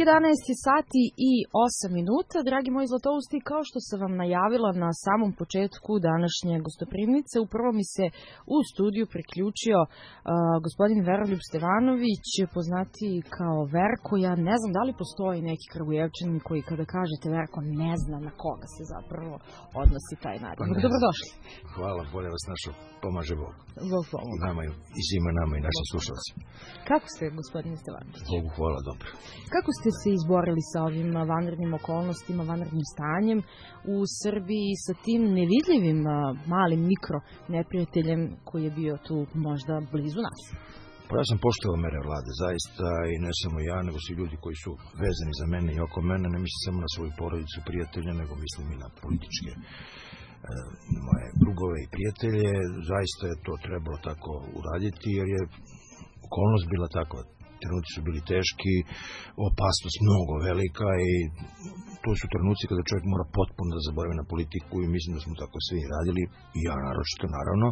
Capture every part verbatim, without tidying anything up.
jedanaest sati i osam minuta. Dragi moji zlatousti, kao što sam vam najavila na samom početku današnje gostoprimnice, uprvo mi se u studiju priključio uh, gospodin Veroljub Stevanović, poznati kao Verko. Ja ne znam da li postoji neki Kragujevčanin koji kada kažete Verko ne zna na koga se zapravo odnosi taj nadimak. Dobrodošli. Hvala, bolje vas našao. Pomaže Bog. Bog pomogu. I nama i svima nama i našim slušalcima. Kako ste, gospodine Stevanović? Bogu hvala, dobro. Kako ste se izborili sa ovim vanrednim okolnostima, vanrednim stanjem u Srbiji sa tim nevidljivim malim mikro neprijateljem koji je bio tu možda blizu nas? Pa ja sam poštovao mere vlade, zaista, i ne samo ja, nego svi ljudi koji su vezani za mene i oko mene, ne mislim samo na svoju porodicu, prijatelje, nego mislim i na političke e, moje drugove i prijatelje. Zaista je to trebalo tako uraditi, jer je okolnost bila takva. Trenuci su bili teški, opasnost mnogo velika i to su trenuci kada čovjek mora potpuno da zaboravi na politiku i mislim da smo tako svi radili, i ja naročito naravno,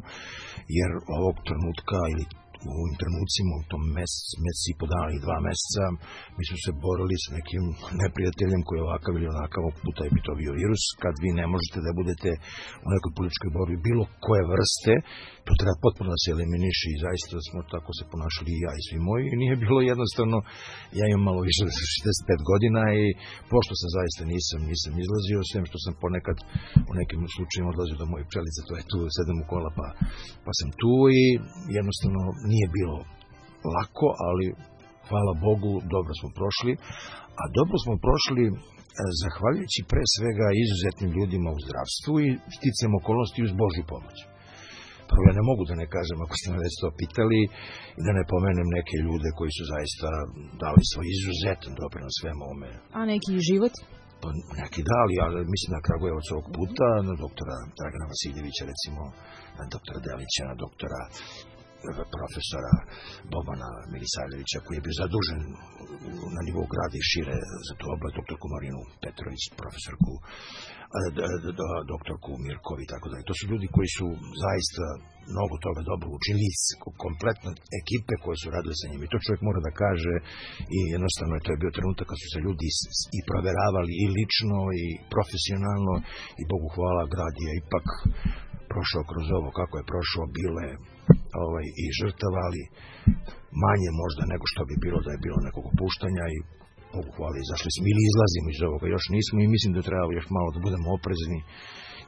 jer ovog trenutka ili u ovim trenucima, u tom mesec, mesec i po dana i dva meseca, mi smo se borili s nekim neprijateljem koji je ovakav ili onakav, ovog puta je bi to bio virus. Kad vi ne možete da budete u nekoj političkoj borbi bilo koje vrste, to treba potpuno da se eliminiše i zaista smo tako se ponašali i ja i svi moji. I nije bilo jednostavno, ja imam malo više od šezdeset pet godina i pošto sam zaista nisam, nisam izlazio, sem što sam ponekad u nekim slučajima odlazio do moje pčelice, to je tu, sedem u kola pa, pa sam tu i jednostavno nije bilo lako, ali hvala Bogu, dobro smo prošli, a dobro smo prošli zahvaljujući pre svega izuzetnim ljudima u zdravstvu i sticajem okolnosti uz Božju pomoć. Prvo, ja ne mogu da ne kažem, ako ste me već to pitali, i da ne pomenem neke ljude koji su zaista dali svoj izuzetan doprinos svemu ovome. A neki život? Pa neki dali, ali mislim na Kragujevac ovog puta, na doktora Dragana Vasiljevića, recimo, na doktora Delića, na doktora profesora Bobana Milisavljevića, koji je bio zadužen na nivou grada i šire za tu oblast, doktorku Marinu Petrović, profesorku, doktorku Mirkovi i tako dalje. To su ljudi koji su zaista mnogo toga dobro učili, kompletno ekipe koje su radile sa njima. I to čovjek mora da kaže i jednostavno to je bio trenutak kad su se ljudi i proveravali i lično i profesionalno i Bogu hvala, grad je ipak prošao kroz ovo kako je prošao, bile ovaj, i žrtava, ali manje možda nego što bi bilo da je bilo nekog opuštanja i Bogu hvala, izašli smo ili izlazimo iz ovoga, još nismo i mislim da treba još malo da budemo oprezni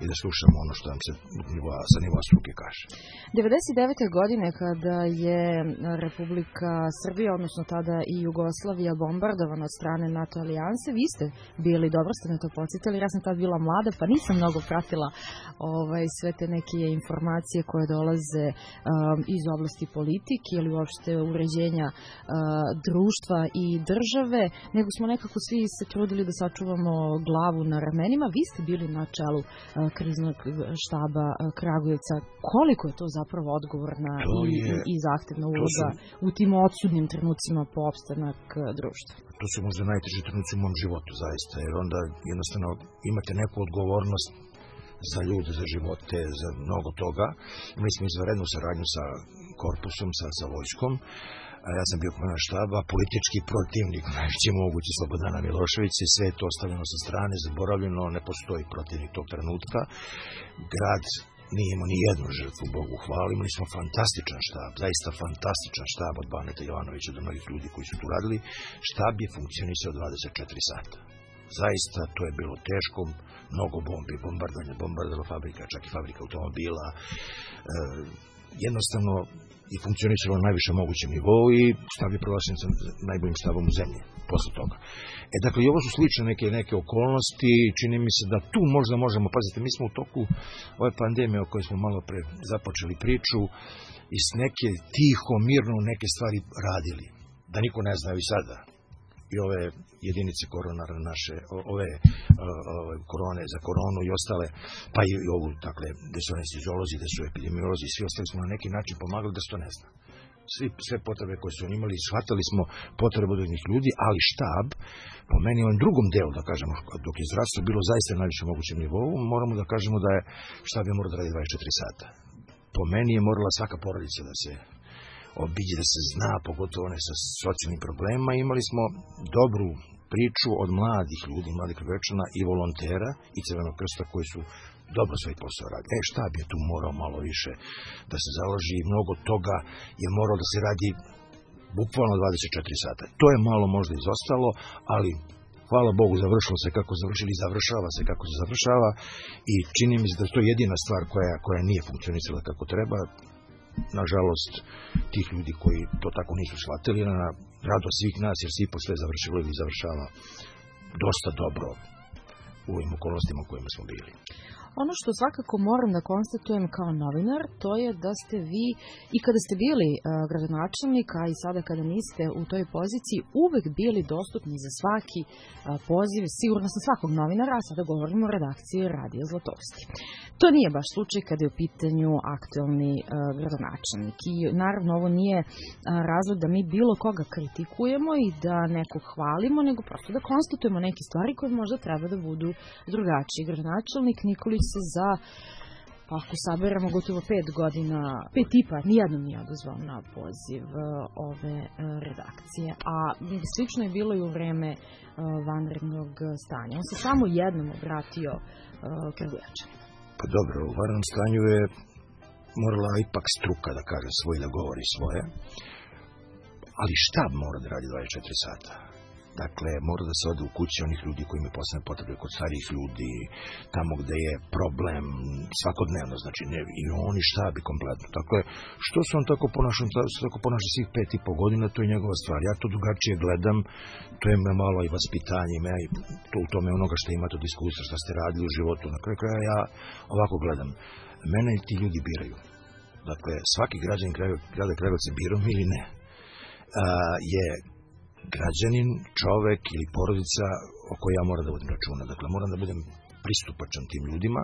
i da slušamo ono što nam se nivoa, sa nivoa struke kaže. devedeset devete godine kada je Republika Srbija, odnosno tada i Jugoslavija, bombardovana od strane NATO alijanse, vi ste bili, dobro ste me to podsjetili, ja sam tad bila mlada pa nisam mnogo pratila ovaj, sve te neke informacije koje dolaze um, iz oblasti politike ili uopšte uređenja uh, društva i države, nego smo nekako svi se trudili da sačuvamo glavu na ramenima. Vi ste bili na čelu uh, kriznog štaba Kragujevca. Koliko je to zapravo odgovorna i, je, i zahtevna uloga su, u tim odsudnim trenucima po opstanak društva? To su možda najteži trenuci u mom životu, zaista, jer onda jednostavno imate neku odgovornost za ljude, za živote, za mnogo toga. Imali smo izvanrednu saradnju sa korpusom, sa, sa vojskom. Ja sam bio komandant štaba, politički protivnik, najveći mogući Slobodana Miloševića, i sve je to ostavljeno sa strane, zaboravljeno, ne postoji protivnik tog trenutka. Grad nije imao ni jednu žrtvu, Bogu hvala, imali smo fantastičan štab, zaista fantastičan štab od Baneta Jovanovića do mnogih ljudi koji su tu radili. Štab je funkcionisao dvadeset četiri sata. Zaista to je bilo teško, mnogo bombi, bombardovanje, bombardovanje fabrika, čak i fabrika automobila, e, jednostavno i funkcionisalo na najviše mogućem nivou i štab je proglašen sa najboljim štabom u zemlji posle toga. E, dakle, i ovo su slične neke, neke okolnosti, čini mi se da tu možda možemo, pazite, mi smo u toku ove pandemije o kojoj smo malo pre započeli priču i s neke tiho, mirno neke stvari radili, da niko ne zna i sada. I ove jedinice koronarne naše, ove, ove korone za koronu i ostale, pa i ovu, dakle, gde su anesteziolozi, gde su epidemiolozi, svi ostali smo na neki način pomagali da se to ne zna. Svi, sve potrebe koje su oni imali, shvatali smo potrebu od njih ljudi, ali štab, po meni u ovom drugom delu, da kažemo, dok je zdravstvo bilo zaista na najvišem mogućem nivou, moramo da kažemo da je štab je morao da radi dvadeset četiri sata. Po meni je morala svaka porodica da se obiđe, da se zna, pogotovo one sa socijalnim problemima. Imali smo dobru priču od mladih ljudi, mladih Kragujevčana i volontera i Crvenog krsta koji su dobro svoj posao radi. E, štab je tu morao malo više da se založi i mnogo toga je morao da se radi bukvalno dvadeset četiri sata. To je malo možda izostalo, ali hvala Bogu završilo se kako završili i završava se kako se završava i čini mi se da je to jedina stvar koja, koja nije funkcionisala kako treba. Nažalost, tih ljudi koji to tako nisu shvatili, na radost svih nas, jer se ipak sve završilo ili završava dosta dobro u ovim okolnostima u kojima smo bili. Ono što svakako moram da konstatujem kao novinar, to je da ste vi i kada ste bili uh, gradonačelnik, a i sada kada niste u toj poziciji, uvek bili dostupni za svaki uh, poziv, sigurno sam svakog novinara, a sada govorimo o redakciji Radija Zlatovski. To nije baš slučaj kada je u pitanju aktuelni uh, gradonačelnik. I naravno ovo nije uh, razlog da mi bilo koga kritikujemo i da nekog hvalimo, nego prosto da konstatujemo neke stvari koje možda treba da budu drugačiji. Gradonačelnik Nikolić se za, pa ako saberamo, gotovo pet godina, pet i pa, nijednom nije odazvao na poziv uh, ove uh, redakcije. A slično je bilo i u vreme uh, vanrednog stanja. On se samo jednom obratio uh, Kragujevčanima. Pa dobro, u vanrednom stanju je morala ipak struka da kaže svoje, da govori svoje, ali štab mora da radi dvadeset četiri sata. Dakle, mora da se ode u kući onih ljudi koji imaju posebne potrebe, kod starijih ljudi, tamo gde je problem svakodnevno, znači ne, i oni štabi kompletno. Dakle, što se on tako ponaša, tako ponaša svih pet i po godina, to je njegova stvar. Ja to drugačije gledam, to je me malo i vaspitanje, me i to u tome onoga što imate od iskustva, što ste radili u životu. Na kraju kraja ja ovako gledam. Mene i ti ljudi biraju. Dakle, svaki građanin grada Kragujevca birao ili ne, a, je građanin, čovek ili porodica o kojoj ja moram da vodim računa. Dakle, moram da budem pristupačan tim ljudima.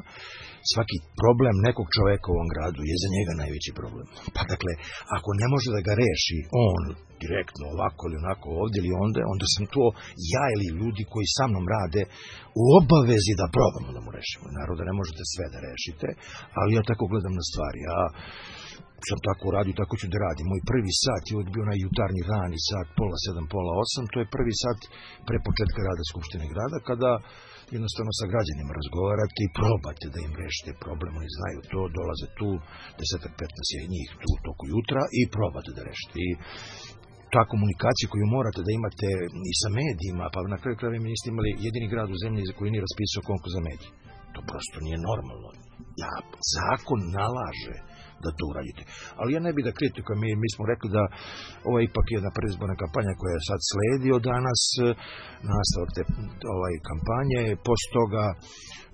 Svaki problem nekog čoveka u ovom gradu je za njega najveći problem. Pa dakle, ako ne može da ga reši on direktno ovako ili onako ovdje ili onda, onda sam to ja ili ljudi koji sa mnom rade u obavezi da probamo da mu rešimo. Naravno da ne možete sve da rešite, ali ja tako gledam na stvari. Ja sam tako radio, tako ću da radim. Moj prvi sat je uvijek bio onaj jutarnji rani sat, pola sedam, pola osam, to je prvi sat pre početka rada Skupštine grada, kada jednostavno sa građanima razgovarate i probate da im rešite problem, oni znaju to, dolaze tu, desetak, petnaest je njih tu u toku jutra i probate da rešite. I ta komunikacija koju morate da imate i sa medijima, pa na kraju krajeva mi niste imali jedini grad u zemlji koji nije raspisao konkurs za medije. To prosto nije normalno. Ja, zakon nalaže da to uradite. Ali ja ne bih da kritikujem, mi, mi smo rekli da ovo je ipak jedna predizborna kampanja koja sad sledi od danas, nastavak te ovaj, kampanje, posle toga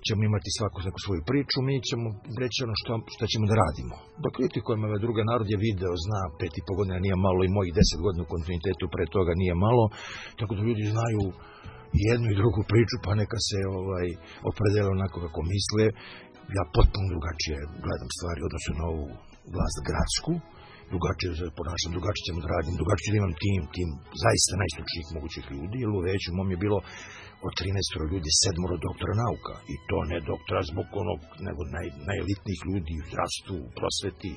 ćemo imati svako neku svoju priču, mi ćemo reći ono što, što ćemo da radimo. Da kritikujem ove druge, narod je video, zna, pet i po godina nije malo i mojih deset godina u kontinuitetu pre toga nije malo, tako da ljudi znaju jednu i drugu priču, pa neka se ovaj, opredele onako kako misle. Ja potpuno drugačije gledam stvari odnosno na ovu vlast gradsku, drugačije se ponašam, drugačije ćemo da radim, drugačije da imam tim, tim zaista najstručnijih mogućih ljudi, jer u veću mom je bilo od trinaest ljudi, sedmoro doktora nauka, i to ne doktora zbog onog, nego naj, najelitnijih ljudi u zdravstvu, u prosveti,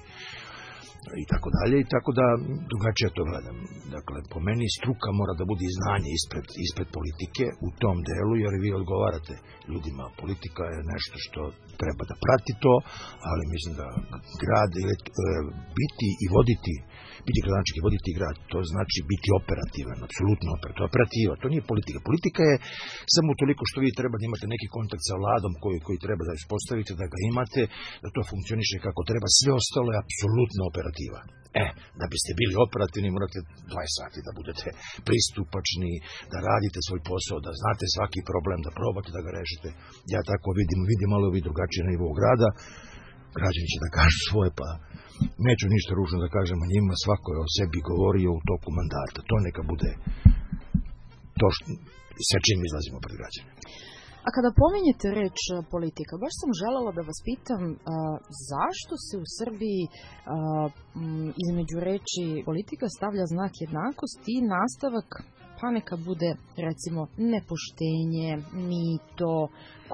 i tako dalje, i tako da drugačije to gledam. Dakle, po meni struka mora da bude i znanje ispred, ispred politike u tom delu, jer vi odgovarate ljudima. Politika je nešto što treba da prati to, ali mislim da grad e, biti i voditi, biti gradonačelnik i voditi grad, to znači biti operativan, apsolutno operativan. Operativa, to nije politika. Politika je samo toliko što vi treba da imate neki kontakt sa vladom koji, koji treba da ispostavite, da ga imate, da to funkcioniše kako treba. Sve ostalo je apsolutno operativa. E, da biste bili operativni, morate dvadeset sati da budete pristupačni, da radite svoj posao, da znate svaki problem, da probate da ga rešite. Ja tako vidim, vidim malo vi drugačije na nivou grada. Građani će da kažu svoje, pa neću ništa ružno da kažem o njima, svako je o sebi govorio u toku mandata. To neka bude to što, sa čim izlazimo pred građane. A kada pominjete reč politika, baš sam želela da vas pitam a, zašto se u Srbiji a, m, između reči politika stavlja znak jednakosti i nastavak, pa neka bude recimo nepoštenje, mito,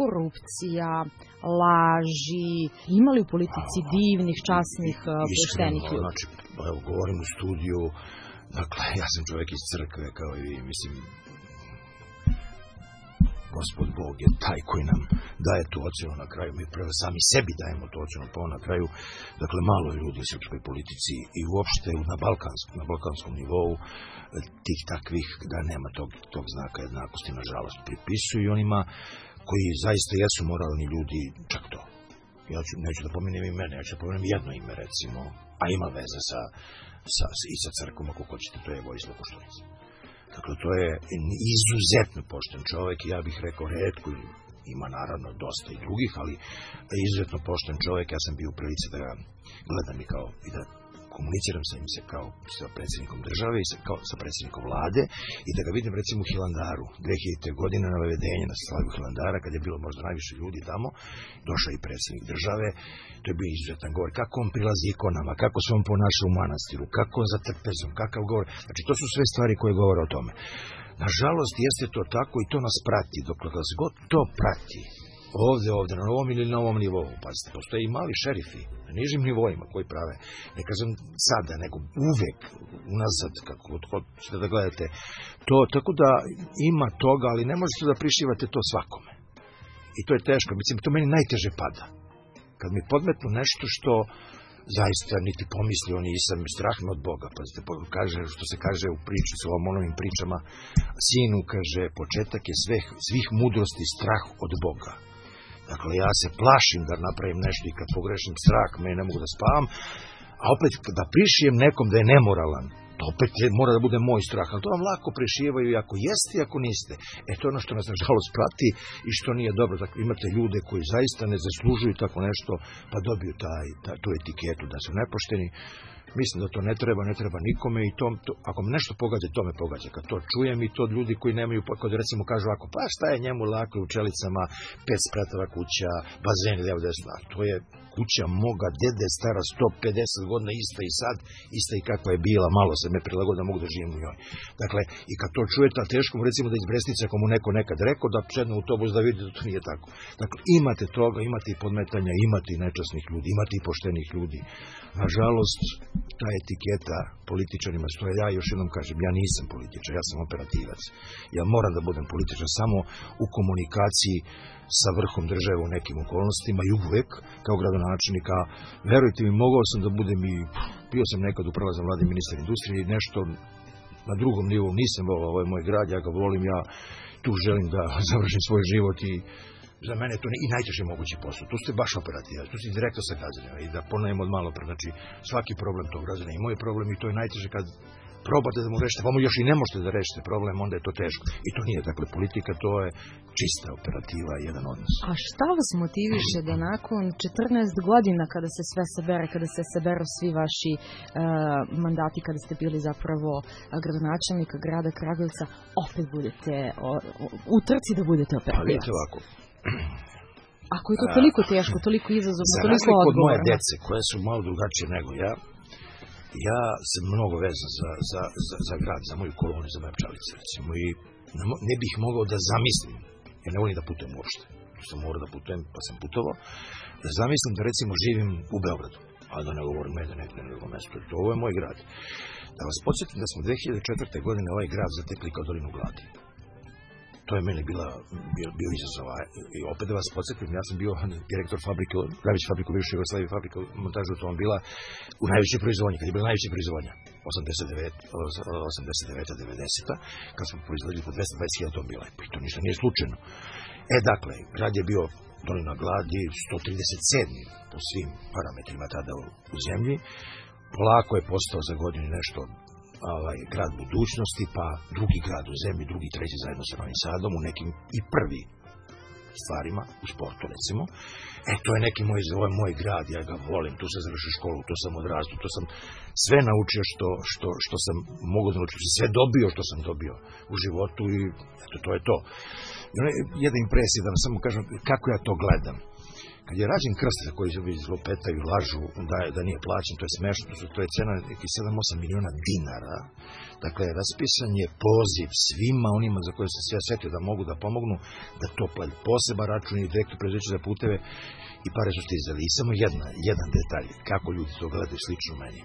korupcija, laži. Ima li u politici divnih, časnih, poštenih ljudi? Znači, evo, govorim u studiju, dakle, ja sam čovjek iz crkve, kao i vi, mislim, Gospod Bog je taj koji nam daje tu ocenu na kraju. Mi prvo sami sebi dajemo tu ocenu, pa na kraju, dakle, malo ljudi u srpskoj politici i uopšte na balkanskom, na balkanskom nivou tih takvih da nema tog, tog znaka jednakosti, nažalost, pripisuju onima koji zaista jesu moralni ljudi, čak to. Ja ću, neću da pomenem imene, ja ću da pomenem jedno ime, recimo, a ima veze sa, sa, i sa crkvom, ako hoćete, to je Vojislav Koštunica. Dakle, to je izuzetno pošten čovjek i ja bih rekao retko, ima naravno dosta i drugih, ali izuzetno pošten čovjek. Ja sam bio u prilici da ga gledam i kao i da komuniciram sa im se kao sa predsjednikom države i sa, kao sa predsjednikom vlade i da ga vidim recimo u Hilandaru dve hiljadite. godine na navedenje na slavlju Hilandara kad je bilo možda najviše ljudi tamo, došao i predsjednik države. To je bio izuzetan govor, kako on prilazi ikonama, kako se on ponaša u manastiru, kako za trpezom, kakav govor. Znači to su sve stvari koje govore o tome. Nažalost jeste to tako i to nas prati, dok nas god to prati ovdje, ovdje, na ovom ili na ovom nivou. Pazite, postoje i mali šerifi na nižim nivoima koji prave, ne kažem sada, nego uvek unazad, kako ćete da gledate to, tako da ima toga, ali ne možete da prišivate to svakome. I to je teško, mislim, to meni najteže pada. Kad mi podmetnu nešto što zaista niti pomislio nisam, strah me od Boga. Pazite, kaže, što se kaže u priči, s Solomonovim pričama, sinu, kaže, početak je svih, svih mudrosti strah od Boga. Dakle, ja se plašim da napravim nešto i kad pogrešim strah, me ne mogu da spavam, a opet da prišijem nekom da je nemoralan, to opet mora da bude moj strah, ali to vam lako prišijevaju i ako jeste i ako niste. E to je ono što nas nažalost prati i što nije dobro. Dakle, imate ljude koji zaista ne zaslužuju tako nešto, pa dobiju taj, taj, tu etiketu da su nepošteni. Mislim da to ne treba, ne treba nikome i to, to, ako me nešto pogađa, to me pogađa. Kad to čujem i to od ljudi koji nemaju, kad recimo kažu ako pa šta je njemu lako u Čelicama, pet spratova kuća, bazen lijevo desno, a to je kuća moga dede stara sto pedeset godina, ista i sad, ista i kakva je bila, malo se me prilagodila, mogu da živim u njoj. Dakle, i kad to čujete, a teško mu recimo da iz Bresnice, ako mu neko nekad rekao, da sedne u autobus da vidi da to nije tako. Dakle, imate toga, imate i podmetanja, imate i nečasnih ljudi, imate i poštenih ljudi. Nažalost, ta etiketa političarima, što ja još jednom kažem, ja nisam političar, ja sam operativac. Ja moram da budem političar samo u komunikaciji sa vrhom države u nekim okolnostima i uvek, kao gradonačelnika, verujte mi, mogao sam da budem i, bio sam nekad u prelaznom vladi ministar industrije i nešto na drugom nivou, nisam volao, ovo je moj grad, ja ga volim, ja tu želim da završim svoj život i za mene to ne, i najteži mogući posao. Tu ste baš operativac, tu ste direktno sa građanima i da ponovim od malo pre, znači svaki problem tog građana i moj problem i to je najteže kad probate da mu rešite, pa mu još i ne možete da rešite problem, onda je to teško. I to nije, dakle, politika, to je čista operativa, jedan odnos. A šta vas motiviše da nakon četrnaest godina kada se sve sabere, kada se saberu svi vaši uh, mandati, kada ste bili zapravo gradonačelnika grada Kragujevca, opet budete o, o, u trci da budete operativac? Pa vidite ovako. Ako je to toliko teško, toliko izazovno, toliko odgovorno. Za razliku od moje dece, koje su malo drugačije nego ja, ja sam mnogo vezan za, za, za, za grad, za moju kolonu, za moje Pčelice, recimo, i ne bih mogao da zamislim, jer ne volim da putujem uopšte, tu sam morao da putujem, pa sam putovao, da zamislim da recimo živim u Beogradu, a da ne govorim mene nekde na drugom mestu, to ovo je moj grad. Da vas podsjetim da smo dve hiljade četvrte. godine ovaj grad zatekli kao dolinu gladi. To je meni bila, bio, bio izazov. I opet da vas podsjetim, ja sam bio direktor fabrike, najveće fabrike u bivšoj Jugoslaviji, fabrika montaža automobila u najvećoj proizvodnji, kad je bila najveća proizvodnja, osamdeset deveta devedeseta kad smo proizvodili po dvesta dvadeset hiljada automobila. I to ništa nije slučajno. E, dakle, grad je bio dolina gladi, sto trideset sedmi po svim parametrima tada u, u zemlji. Polako je postao za godinu nešto ovaj, grad budućnosti, pa drugi grad u zemlji, drugi, treći zajedno sa Novim Sadom, u nekim i prvi stvarima, u sportu recimo. E, to je neki moj, ovo je moj grad, ja ga volim, tu sam završio školu, tu sam odrastao, tu sam sve naučio što, što, što sam mogu da naučiti, sve dobio što sam dobio u životu i eto, to je to. I ono je jedna impresija, da vam samo kažem kako ja to gledam. Kad je rađen krst za koji se zlopetaju, lažu, da, da nije plaćen, to je smešno, to je cena nekih sedam osam miliona dinara. Dakle, raspisan je poziv svima onima za koje se sve setio da mogu da pomognu, da to plati poseban račun i direktno preduzeće za puteve i pare su stizali. I samo jedna, jedan detalj, kako ljudi to gledaju slično meni.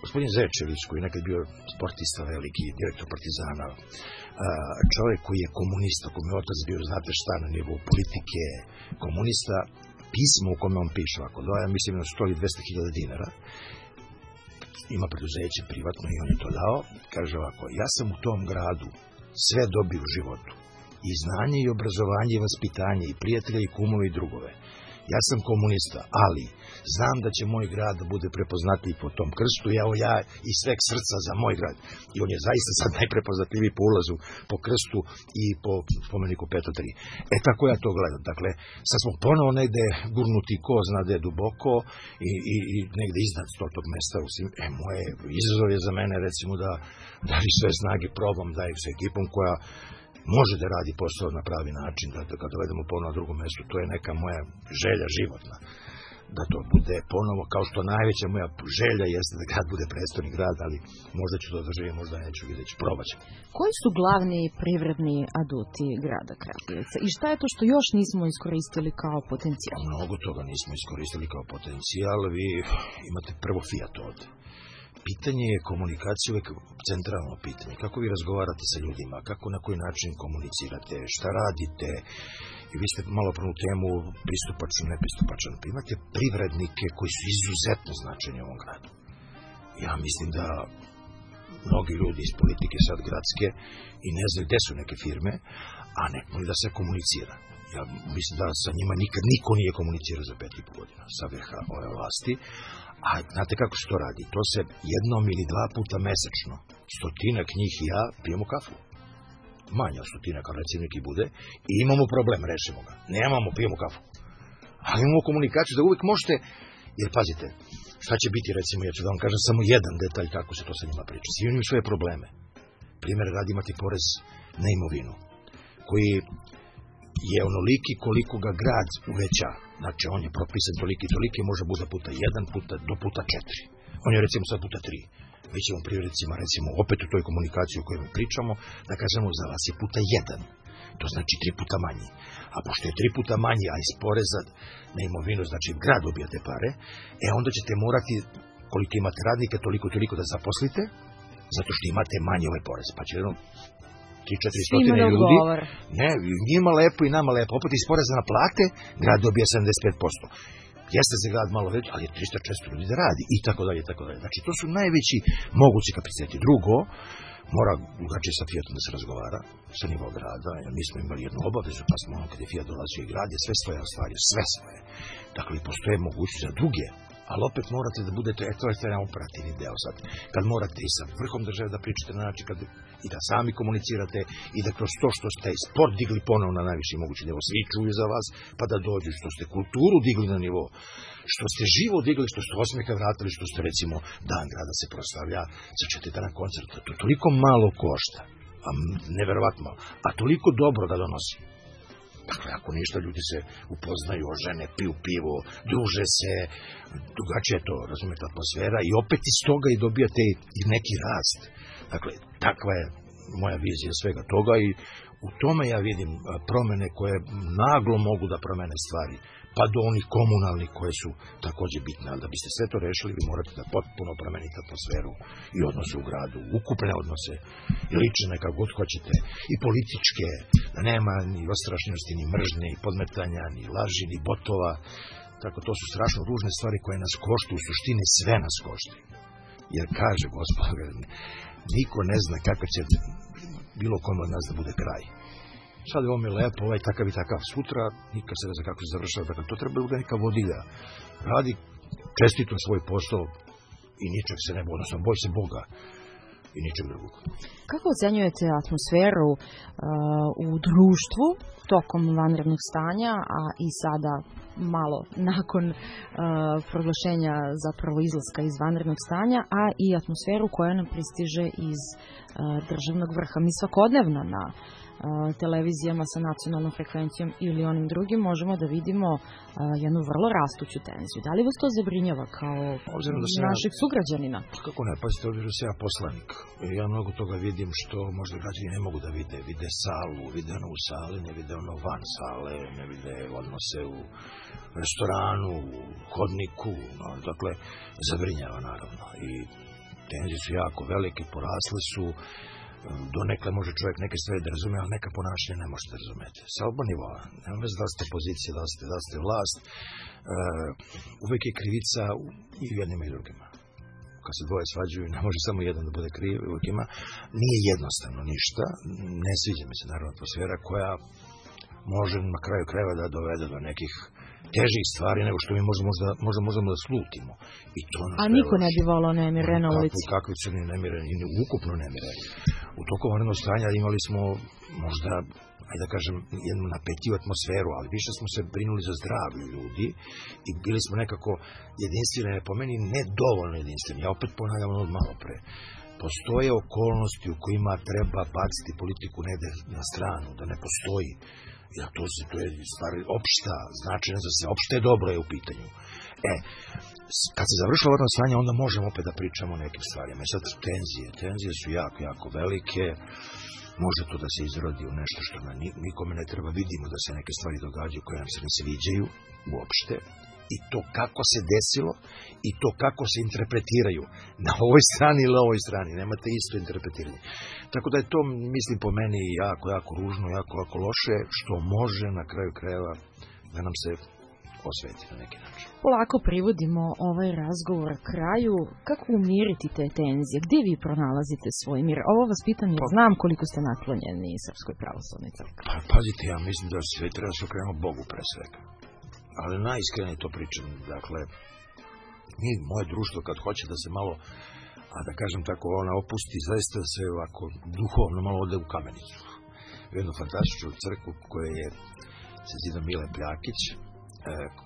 gospodin Zečević, koji je nekad bio sportista veliki, direktor Partizana, čovjek koji je komunista, kome je otac bio, znate šta, na nivou politike, komunista, pismo u kome on piše ovako, doja, mislim na sto ili dvesta hiljada dinara, ima preduzeće privatno i on je to dao, kaže ovako, ja sam u tom gradu sve dobio u životu, i znanje i obrazovanje i vaspitanje i prijatelje i kumove i drugove. Ja sam komunista, ali znam da će moj grad da bude prepoznatljiv po tom krstu, evo ja iz sveg srca za moj grad. I on je zaista sad najprepoznatljiviji po ulazu, po krstu i po spomeniku Peto tri. E tako ja to gledam. Dakle, sad smo ponovo negde gurnuti ko zna da je duboko i, i, i negde iznad stotog mesta. E, moje izazov je za mene recimo da, da li sve snage probam da je s ekipom koja može da radi posao na pravi način, da, da kad dovedemo ponovo na drugom mjestu, to je neka moja želja životna. Da to bude ponovo, kao što najveća moja želja jeste da grad bude prestolni grad, ali možda ću to doživjeti, možda neću, vidjet ću, probat ću. Koji su glavni privredni aduti grada Kragujevaca i šta je to što još nismo iskoristili kao potencijal? Mnogo toga nismo iskoristili kao potencijal, vi imate prvo Fiat ovde. Pitanje je komunikacije uvek centralno pitanje. Kako vi razgovarate sa ljudima, kako na koji način komunicirate, šta radite. I vi ste malo prvu temu pristupačan, nepristupačan. Imate privrednike koji su izuzetno značajni u ovom gradu. Ja mislim da mnogi ljudi iz politike sad gradske i ne znaju gde su neke firme, a ne mogu da se komunicira. Ja mislim da sa njima nikad niko nije komunicirao za pet i po godina sa vrha ove vlasti. A znate kako se to radi? To se jednom ili dva puta mesečno, stotinak njih i ja pijemo kafu. Manje od stotinak, kao recimo neki bude, i imamo problem, rešimo ga. Nemamo, pijemo kafu. Ali imamo komunikaciju da uvijek možete, jer pazite, šta će biti, recimo, ja ću da vam kažem samo jedan detalj kako se to sa njima priča. Svi imaju svoje probleme. Primjer, radi imati porez na imovinu, koji je onoliki koliko ga grad uveća. Znači, on je propisan toliki, toliki, može bude puta jedan, puta, do puta četiri. On je recimo sad puta tri. Mi ćemo privrednicima, recimo, opet u toj komunikaciji o kojoj mi pričamo, da kažemo za vas je puta jedan. To znači tri puta manji. A pošto je tri puta manji, a iz poreza na imovinu, znači grad dobija te pare, e onda ćete morati, koliko imate radnika, toliko, toliko da zaposlite, zato što imate manji ovaj porez. Pa će jedno tri do četiri stotine ljudi. Ne, njima lepo i nama lepo. Opet iz poreza na plate, grad dobija sedamdeset pet posto. Jeste za grad malo već, ali je trista često ljudi da radi. I tako dalje, i tako dalje. Znači, to su najveći mogući kapaciteti. Drugo, mora drugačije sa Fiatom da se razgovara sa nivo grada. Jer mi smo imali jednu obavezu, pa smo ono kada je Fiat dolazio i grad je sve svoje ostvario, sve svoje. Dakle, postoje mogućnosti za druge. Ali opet morate da budete, eto je taj operativni deo sad, kad morate i sa vrhom države da pričate na način, kad, i da sami komunicirate, i da kroz to što ste sport digli ponovno na najviši mogući nivo, svi čuju za vas, pa da dođu, što ste kulturu digli na nivo, što ste živo digli, što ste osmeha vratili, što ste recimo dan grada se proslavlja za četiri dana koncerta, to toliko malo košta, a neverovatno malo, a toliko dobro da donosi. Dakle, ako ništa, ljudi se upoznaju, ožene, piju pivo, druže se, drugačije je to, razumijete, atmosfera i opet iz toga i dobijate i neki rast. Dakle, takva je moja vizija svega toga i u tome ja vidim promene koje naglo mogu da promene stvari, pa do onih komunalnih koje su također bitne. Ali da biste sve to rešili, vi morate da potpuno promenite atmosferu i odnose u gradu, ukupne odnose, i lične, kako god hoćete, i političke, da nema ni ostrašnosti, ni mržnje, ni podmetanja, ni laži, ni botova. Tako, to su strašno ružne stvari koje nas koštu, u suštini sve nas košti. Jer kaže Gospod, niko ne zna kako će bilo kome od nas da bude kraj. Sad je ovo mi lepo, ovaj takav i takav. Sutra nikad se ne zna kako se završava. Dakle, to treba da neka vodilja. Radi čestito svoj posao i ničeg se ne boji, odnosno boj se Boga i ničeg drugog. Kako ocenjujete atmosferu uh, u društvu tokom vanrednog stanja, a i sada malo nakon uh, proglašenja zapravo izlaska iz vanrednog stanja, a i atmosferu koja nam pristiže iz uh, državnog vrha? Mi svakodnevno na televizijama sa nacionalnom frekvencijom ili onim drugim možemo da vidimo uh, jednu vrlo rastuću tenziju. Da li vas to zabrinjava kao našeg ja, sugrađanina? Kako ne, pazite, obzirom da sam ja poslanik. Ja mnogo toga vidim što možda građani ne mogu da vide. Vide salu, vide ono u sali, ne vide ono van sale, ne vide odnose u restoranu, u hodniku. No, dakle, zabrinjava naravno. I tenzije su jako velike, porasle su, donekle može čovjek neke stvari da razume, ali neka ponašanja ne možete razumeti. Sa oba nivoa, nema veze da ste pozicija, da ste, da ste vlast, uh, uvek je krivica i u jednima i drugima. Kad se dvoje svađuju, ne može samo jedan da bude kriv, uvek ima. Nije jednostavno ništa, ne sviđa mi se naravno atmosfera koja može na kraju krajeva da dovede do nekih težih stvari nego što mi možemo, možda, možda možemo da slutimo. I to nas A niko ne bi volao nemire na ulici. Kako, kakvi crni nemire, i ukupno nemire. U toku vanrednog stanja imali smo možda, ajde da kažem, jednu napetiju atmosferu, ali više smo se brinuli za zdravlje ljudi i bili smo nekako jedinstveni, po meni ne dovoljno jedinstveni. Ja opet ponavljam od malo pre. Postoje okolnosti u kojima treba baciti politiku negde na stranu, da ne postoji. Ja, to, se, to je stvar opšta, značajna za sve, opšte je dobro je u pitanju. E, kad se završilo vanredno stanje, onda možemo opet da pričamo o nekim stvarima. E sad, tenzije, tenzije su jako, jako velike, može to da se izrodi u nešto što na nikome ne treba, vidimo da se neke stvari događaju koje nam se ne sviđaju uopšte, i to kako se desilo i to kako se interpretiraju na ovoj strani ili ovoj strani, nemate isto interpretiranje. Tako da je to, mislim, po meni jako, jako ružno, jako, jako loše, što može na kraju krajeva da nam se osveti na neki način. Polako privodimo ovaj razgovor kraju. Kako umiriti te tenzije? Gdje vi pronalazite svoj mir? Ovo vas pitam jer znam koliko ste naklonjeni Srpskoj pravoslavnoj crkvi. Pa, pazite, ja mislim da sve treba se okrenemo Bogu pre svega. Ali najiskrenije to pričam. Dakle, mi, moje društvo, kad hoće da se malo, a da kažem tako, ona opusti, zaista se ovako duhovno malo ode u Kamenicu. U jednu fantastičnu crkvu koja je se zida Mile Pljakić,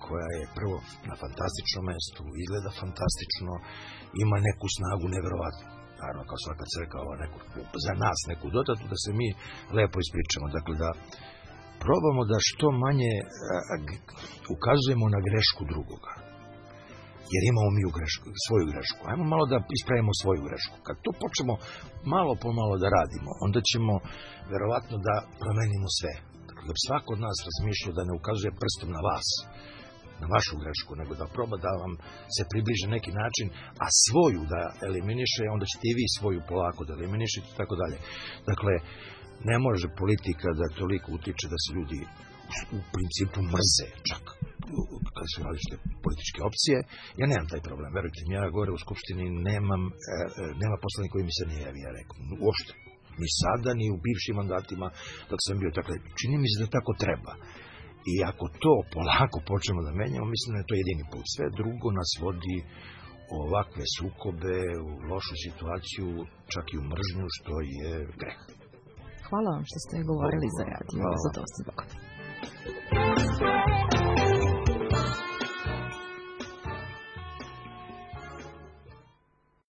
koja je prvo na fantastičnom mestu, izgleda fantastično, ima neku snagu neverovatnu. Naravno, kao svaka crkva, neku, za nas neku dodatu, da se mi lepo ispričamo. Dakle, da probamo da što manje a, a, ukazujemo na grešku drugoga. Jer imamo mi u grešku, svoju grešku. Ajmo malo da ispravimo svoju grešku. Kad to počnemo malo po malo da radimo, onda ćemo verovatno da promenimo sve. Dakle, da bi svako od nas razmišljao da ne ukazuje prstom na vas, na vašu grešku, nego da proba da vam se približe neki način, a svoju da eliminiše, onda ćete i vi svoju polako da eliminišete i tako dalje. Dakle, ne može politika da toliko utiče da se ljudi u principu mrze, čak kada su različite političke opcije. Ja nemam taj problem, verujte mi, ja gore u Skupštini nemam, e, nema poslanika koji mi se ne javi, ja rekao, uopšte. Ni sada, ni u bivšim mandatima dok sam bio. Dakle, čini mi se da tako treba. I ako to polako počnemo da menjamo, mislim da je to jedini put. Sve drugo nas vodi u ovakve sukobe, u lošu situaciju, čak i u mržnju, što je greh. Hvala vam što ste govorili za radio. Hvala. Za to